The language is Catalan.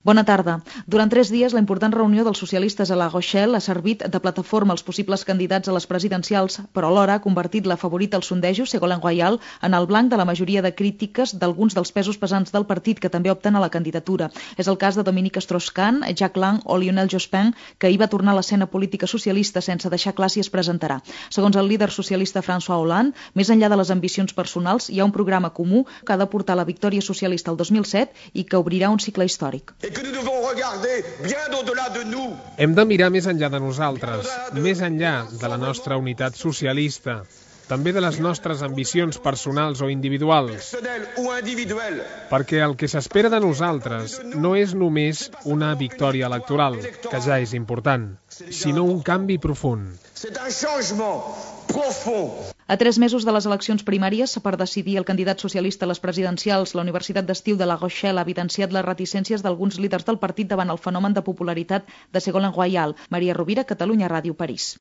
Bona tarda. Durant 3 dies, la important reunió dels socialistes a La Rochelle ha servit de plataforma als possibles candidats a les presidencials, però alhora ha convertit la favorita als sondejos, Ségolène Royal, en el blanc de la majoria de crítiques d'alguns dels pesos pesants del partit que també opten a la candidatura. És el cas de Dominique Strauss-Kahn, Jack Lang o Lionel Jospin, que ahir va tornar a l'escena política socialista sense deixar clar si es presentarà. Segons el líder socialista François Hollande, més enllà de les ambicions personals, hi ha un programa comú que ha de portar la victòria socialista el 2007 i que obrirà un cicle històric. Hem de mirar més enllà de nosaltres, més enllà de la nostra unitat socialista, també de les nostres ambicions personals o individuals, perquè el que s'espera de nosaltres no és només una victòria electoral, que ja és important, sinó un canvi profund. A 3 mesos de les eleccions primàries, per decidir el candidat socialista a les presidencials, la Universitat d'Estiu de La Rochelle ha evidenciat les reticències d'alguns líders del partit davant el fenomen de popularitat de Ségolène Royal. Maria Rovira, Catalunya Ràdio, París.